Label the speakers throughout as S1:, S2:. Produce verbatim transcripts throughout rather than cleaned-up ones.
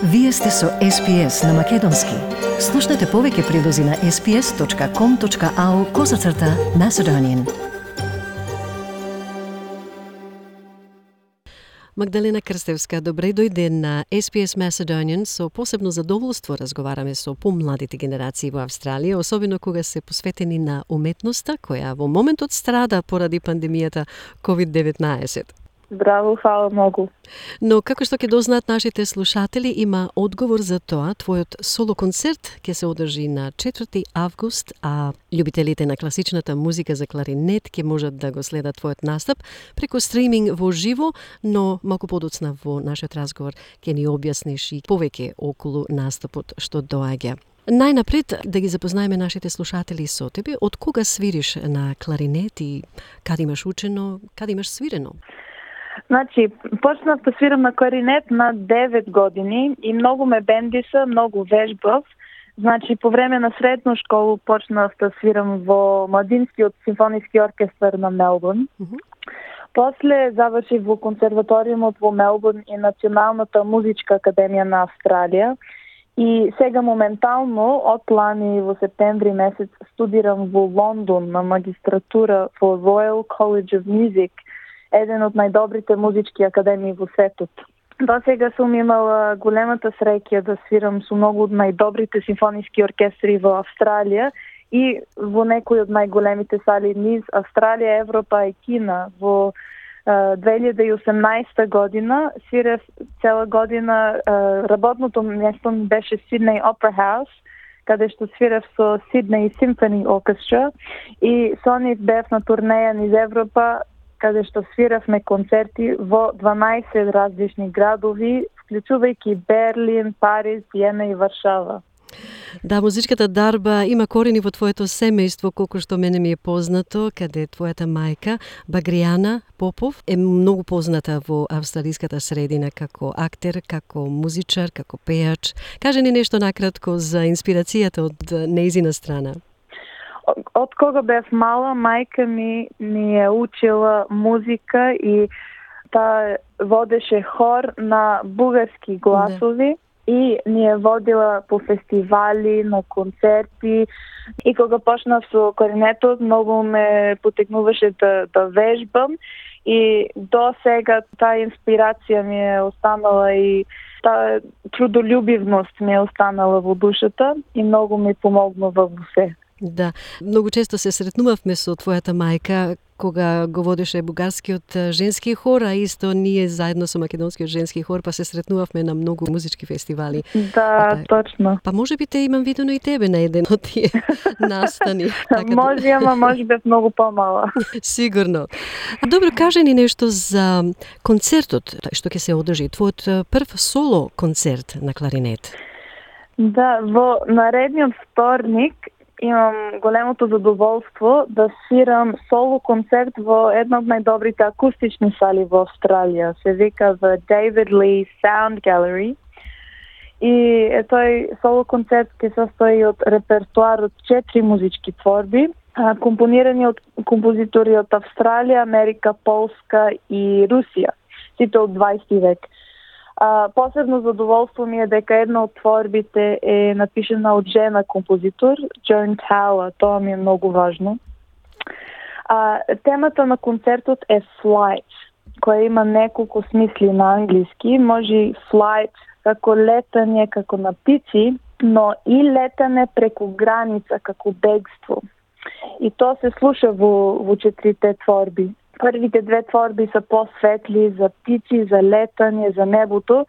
S1: Вие сте со Ес Би Ес на Македонски. Слушнете повеќе прилози на ес би ес точка ком точка ау козацрта Macedonian.
S2: Магдалена Крстевска, добре дојде на Ес Би Ес Macedonian. Со посебно задоволство разговараме со помладите генерации во Австралија, особено кога се посветени на уметноста, која во моментот страда поради пандемијата ковид деветнаесет.
S3: Браво, фала многу.
S2: Но како што ќе дознаат нашите слушатели, има одговор за тоа. Твојот соло концерт ќе се одржи на четврти август, а љубителите на класичната музика за кларинет ќе можат да го следат твојот настап преку стриминг во живо, но малку подоцна во нашиот разговор ќе ни објасниш и повеќе околу настапот што доаѓа. Најнапред да ги запознаеме нашите слушатели со тебе. Од кога свириш на кларинет и каде имаш учено, каде имаш свирено?
S3: Значи, почнав да свирам на кларинет на девет години и многу ме бендиса, многу вежбав. Значи, по време на средно школу почнав да свирам во Младинскиот симфониски оркестар на Мелбурн. Mm-hmm. После завршив во консерваториумот во Мелбурн и Националната музичка академија на Австралија. И сега моментално, од лани во септември месец, студирам во Лондон на магистратура во Royal College of Music, еден од најдобрите музички академии во светот. До сега сум имала големата среќа да свирам со многу од најдобрите симфониски оркестри во Австралија и во некои од најголемите сали низ Австралија, Европа и Кина. Во две илјади и осумнаесета година свирев цела година, работното место ми беше Сиднеј Опера Хаус, каде што свирев со Сиднеј Симфони Оркестра и со нив бев на турнеја низ Европа, каде што свиравме концерти во дванаесет различни градови, вклучувајќи Берлин, Париз, Виена и Варшава.
S2: Да, музичката дарба има корени во твоето семејство, колку што мене ми е познато, каде твојата мајка, Багријана Попов, е многу позната во австралиската средина како актер, како музичар, како пејач. Кажи ни нешто накратко за инспирацијата од нејзина страна.
S3: Од кога бев мала, мајка ми ни е учила музика и таа водеше хор на бугарски гласови. Да. И ни е водила по фестивали, на концерти. И кога почнав со кларинетот, многу ме потекнуваше да, да вежбам. И до сега таа инспирација ми е останала и таа трудолюбивност ми е останала во душата и многу ми помогнува во се.
S2: Да, многу често се сретнувавме со твојата мајка кога го водеше бугарскиот женски хор, а исто ние заедно со македонскиот женски хор па се сретнувавме на многу музички фестивали.
S3: Да, а, точно.
S2: Па може би те имам видено и тебе на еден од тие настани.
S3: Така може, ама може бев многу помала.
S2: Сигурно. Добро, кажи ни нешто за концертот што ќе се одржи, твојот прв соло концерт на кларинет.
S3: Да, во наредниот вторник имам големото задоволство да свирам соло концерт во една од најдобрите акустични сали во Австралија. Се вика The David Lee Sound Gallery. И е, тој соло концерт ќе се состои од репертуар од четири музички творби, компонирани од композитори од Австралија, Америка, Полска и Русија, сите од дваесети век. А, посебно задоволство ми е дека една од творбите е напишена од жена композитор, Джон Тауер, тоа ми е многу важно. А, темата на концертот е Flight, која има неколку смисли на англиски. Може flight како летање, како на птици, но и летане преку граница, како бегство. И тоа се слуша во, во четирите творби. Првите две творби се посветли за птици, за летање, за небото,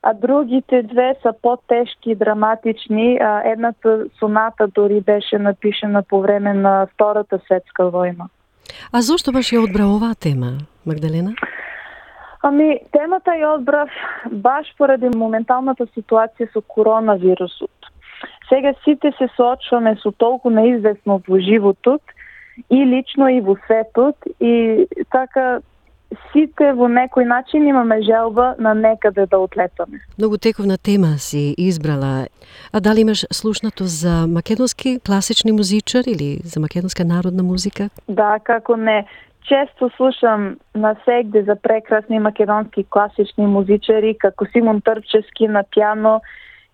S3: а другите две се потешки, драматични. Едната соната дори беше напишена по време на Втората светска војна.
S2: А зошто баш ја одбра оваа тема, Магдалена?
S3: Ами, темата ја одбрав баш поради моменталната ситуација со коронавирусот. Сега сите се соочуваме со толку неизвестно во животот, и лично и во светот, и така сите во некој начин имаме желба на некаде да отлетаме.
S2: Многу тековна тема си избрала. А дали имаш слушнато за македонски класични музичар или за македонска народна музика?
S3: Да, како не. често слушам на сегде за прекрасни македонски класични музичари, како Симон Трпчевски на пиано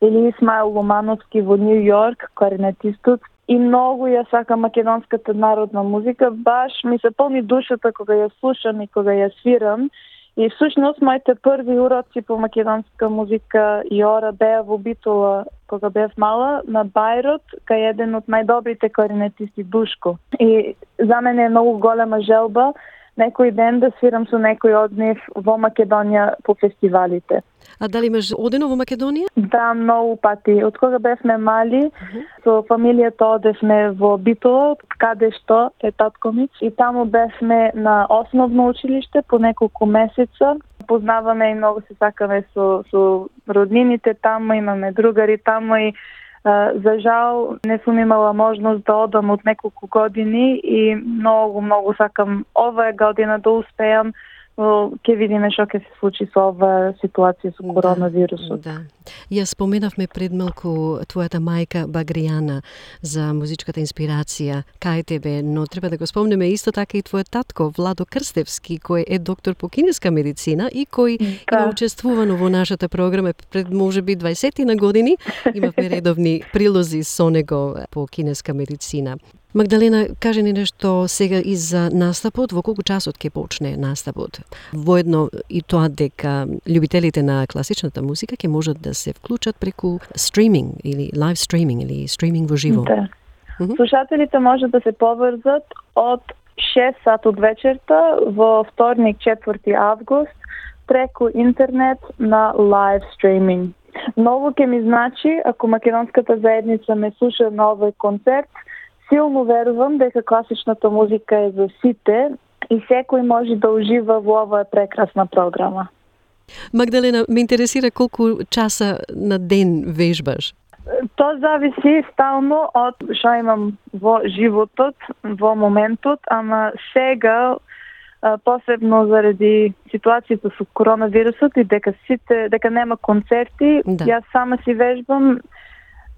S3: или Исмаил Ломановски во Нью Йорк, кларинетистот. И многу ја сакам македонската народна музика, баш ми се полни душата кога ја слушам и кога ја свирам. И всушност моите први уроци по македонска музика и ора беа во Битола кога бев мала на Бајрот, кај еден од најдобрите кларинетисти Душко. И за мене е многу голема желба некој ден да свирам со некој од нив во Македонија по фестивалите.
S2: А дали имаш одено во Македонија?
S3: Да, многу пати. Од кога бевме мали, uh-huh. со фамилијата одевме во Битола, каде што е татко ми. И таму бевме на основно училиште по неколку месеца. Познаваме и многу се сакаме со, со роднините таму, имаме другари таму и Uh, за жал не сум имала можност да одам од неколку години и многу, многу сакам оваа година да успеам, но ќе видиме што ќе се случи со оваа ситуација со коронавирусот.
S2: Да, да. Ја споменавме пред малку твојата мајка Багријана за музичката инспирација кај тебе, но треба да го спомнеме исто така и твојот татко Владо Крстевски, кој е доктор по кинеска медицина и кој да. Има учествувано во нашата програма пред можеби дваесет години. Имавме редовни прилози со него по кинеска медицина. Магдалена, кажи ни нешто сега и за настапот, во колку часот ќе почне настапот? Воедно и тоа дека љубителите на класичната музика ќе можат да се вклучат преку стриминг или лайв стриминг или стриминг во живо.
S3: Да. Uh-huh. Слушателите можат да се поврзат од шест сат од вечерта во вторник четврти август преку интернет на лайв стриминг. Многу ќе ми значи ако македонската заедница ме слуша на овој концерт. Силно верувам дека класичната музика е за сите и секој може да ужива во оваа прекрасна програма.
S2: Магдалена, ме интересира колку часа на ден вежбаш?
S3: Тоа зависи стално од што имам во животот, во моментот, ама сега посебно заради ситуацијата со коронавирусот и дека сите дека нема концерти, да. Јас сама си вежбам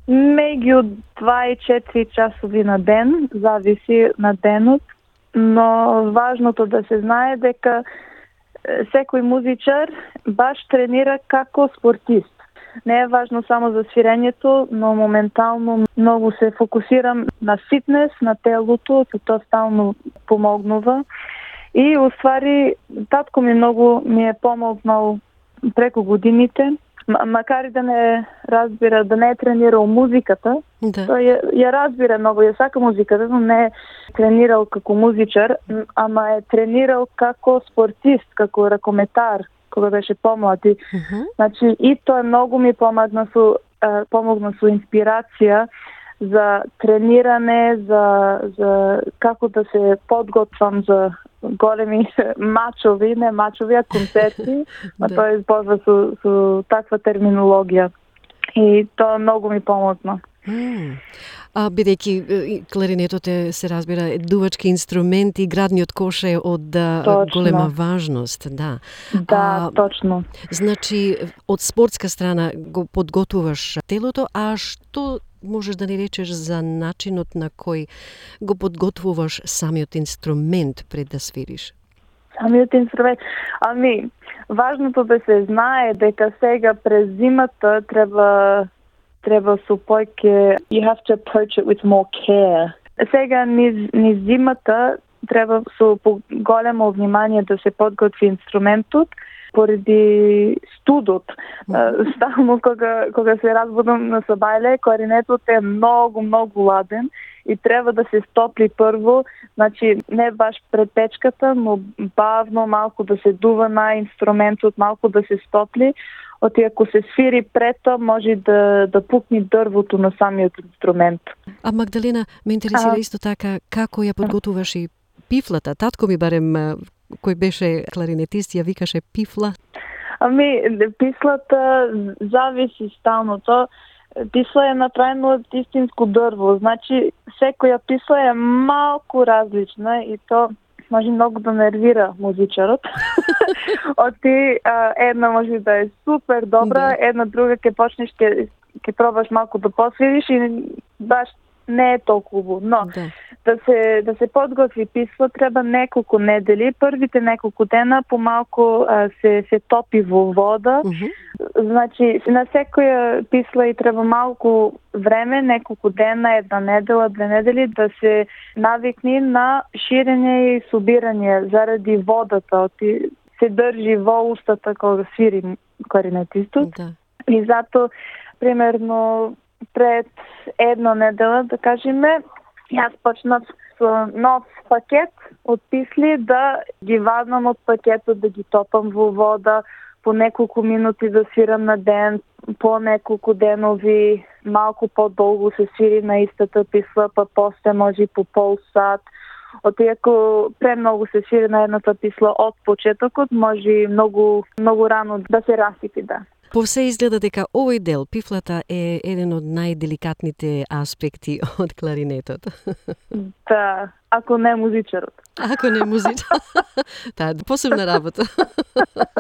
S3: меѓу два и четири часови на ден, зависи на денот, но важното да се знае дека секој музичар баш тренира како спортист. Не е важно само за свирењето, но моментално многу се фокусирам на фитнес, на телото, и тоа стално помогнува. И уствари татко ми многу ми е помогнал преку годините. Макар и да не разбира, да не е тренирал музиката, да. Тој ја, ја разбира многу, ја сака музиката, но не е тренирал како музичар, ама е тренирал како спортист, како ракометар, кога беше помлад. Uh-huh. Значи, и тоа многу ми помогна со, е, помогна со инспирација за трениране, за, за како да се подготвам за големи мачови, не мачови, а концерти, а да. Тој използва со, со таква терминологија. И тоа многу ми помогна.
S2: Mm. А бидејќи кларинетот е, се разбира, е дувачки инструмент и градниот кош е од точно. Голема важност, да.
S3: Да, а, точно.
S2: Значи, од спортска страна го подготуваш телото, а што можеш да ни речеш за начинот на кој го подготвуваш самиот инструмент пред да свириш?
S3: Самиот инструмент? Ами, важното да се знае дека сега през зимата треба треба со појќе, you have to approach it with more care. Сега низ, низ зимата треба со големо внимание да се подготви инструментот, поради студот. Mm-hmm. Стално кога, кога се разбудам на сабајле, кларинетот е многу, многу ладен и треба да се стопли прво, значи не баш пред печката, но бавно малку да се дува на инструментот, малку да се стопли. Оти ако се свири пред тоа, може да, да пукне дрвото на самиот инструмент.
S2: А Магдалена, ме интересира а... исто така како ја подготуваш и пифлата. Татко ми барем кој беше кларинетист, ја викаше пифла.
S3: Ами, пифлата зависи стално. То пифла е направено од истинско дрво. Значи, секоја пифла е малку различна и то може многу да нервира музичарот. Оти една може да е супер добра, да. Една друга ќе почнеш ќе ќе пробаш малку да посвириш и баш не е толку, но
S2: Да.
S3: да се да се подготви писмо треба неколку недели. Првите неколку дена помалку а, се се топи во вода.
S2: Мгм.
S3: Значи, на секоја писла и треба малку време, неколку дена, една недела, две недели, да се навикни на ширење и собирање заради водата. Оти се држи во устата кога свири кларинетистот.
S2: Да.
S3: И зато, примерно, пред една недела, да кажеме, јас почнав со нов пакет од писли да ги вадам од пакетот, да ги топам во вода, по неколку минути да свирам на ден, по неколку денови, малку подолго се свири на истата писла, па после може и по пол сат. Оти ако премногу се свири на едната писла од почетокот, може и многу, многу рано да се расипи, да.
S2: По все изгледа дека овој дел, пифлата, е еден од најделикатните аспекти од кларинетот.
S3: Да, ако не музичарот.
S2: Ако не музичар. Таа посебна работа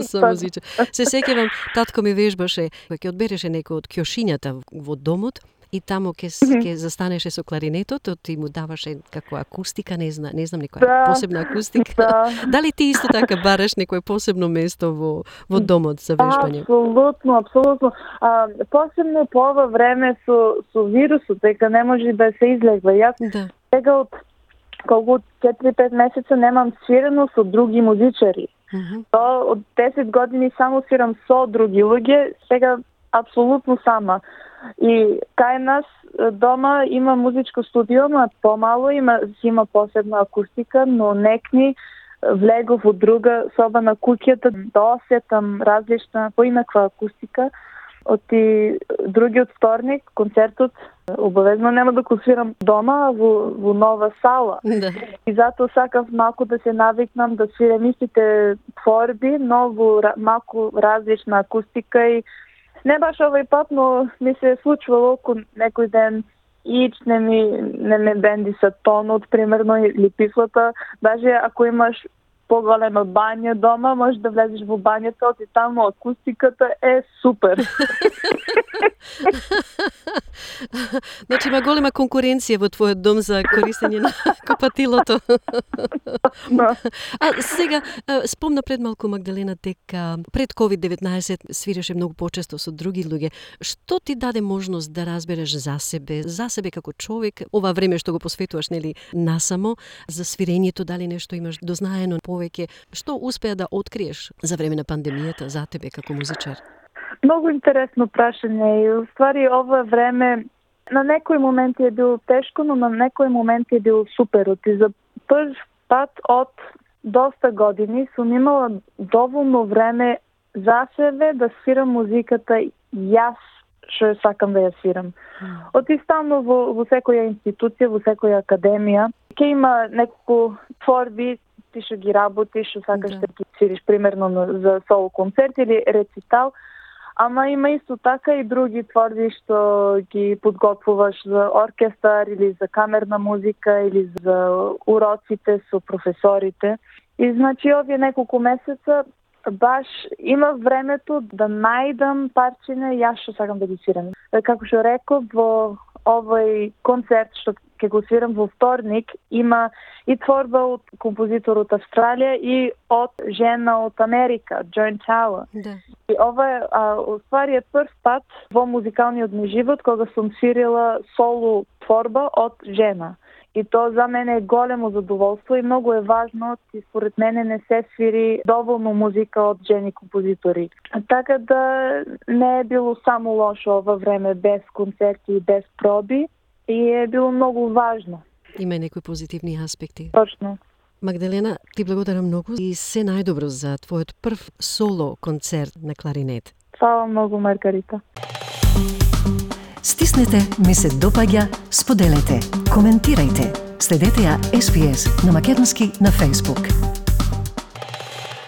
S2: со музичар. Се сеќавам, татко ми вежбаше, кога ќе одбереше некој од ќошињата во домот, и таму ке, ке застанеше со кларинетот, ти му даваше како акустика, не знам, не знам некоја
S3: Да,
S2: посебна акустика.
S3: да.
S2: Дали ти исто така бараш некој посебно место во во домот за вежбање?
S3: Апсолутно, апсолутно. А, посебно по ова време со со вирусот, дека не може да се излегва. Јас
S2: Да.
S3: сега од колку четири-пет месеца немам свирено со други музичари.
S2: Мгм.
S3: То од десет години само свирам со други луѓе, сега апсолутно сама. И кај нас е, дома има музичко студио, но помало има, си има посебна акустика, но некни влегов во друга соба на куќата да осетам различна, поинаква акустика. Оти другиот вторник, концертот, обавезно нема да го свирам дома, а во, во нова сала.
S2: Да.
S3: И затоа сакав малку да се навикнам да свирам истите творби, но во ра- малку различна акустика и не баш овој пат, но ми се е случвало ко некој ден ич не ми не ме бенди са тонот, примерно, или пифлата. Даже ако имаш поголема бања дома, можеш да влезеш во бањата, оти таму акустиката е супер.
S2: Значи има голема конкуренција во твојот дом за користење на копатилото.
S3: Да.
S2: А сега, а, спомна пред малку Магдалена дека пред ковид деветнаесет свиреше многу почесто со други луѓе. Што ти даде можност да разбереш за себе, за себе како човек, ова време што го посветуваш, нели, насамо, за свирењето, дали нешто имаш дознаено повеќе? Што успеа да откриеш за време на пандемијата за тебе како музичар?
S3: Многу интересно прашање и уствари ова време на некои моменти е било тешко, но на некои моменти е било супер. И за прв пат од доста години сум имала доволно време за себе да свирам музиката јас што ја сакам да ја свирам. Оти стално во, во секоја институција, во секоја академија, ќе има неколку творби, ти што ги работиш, што сакаш
S2: Да.
S3: да ги свириш, примерно на- за соло концерт или рецитал, ама има исто така и други творби што ги подготвуваш за оркестар или за камерна музика или за уроците со професорите. И значи овие неколку месеца баш има времето да најдам парчиња јас што сакам да ги свирам. Како што реков, во овој концерт што ќе го свирам во вторник, има и творба од композитор од Австралија и од жена од Америка, Джон Тауер.
S2: Да.
S3: И ова е, а, уствари е прв пат во музикалниот ми живот кога сум свирила соло творба од жена. И тоа за мене е големо задоволство и многу е важно, и според мене не се свири доволно музика од жени композитори. Така да не е било само лошо ова време без концерти и без проби и е било многу важно.
S2: Има и некои позитивни аспекти.
S3: Точно.
S2: Магдалена, ти благодарам многу и се најдобро за твојот прв соло концерт на кларинет.
S3: Фала многу, Маргарита.
S1: Стиснете, ми се допаѓа, споделете, коментирајте. Следете ја Ес Би Ес на македонски на Facebook.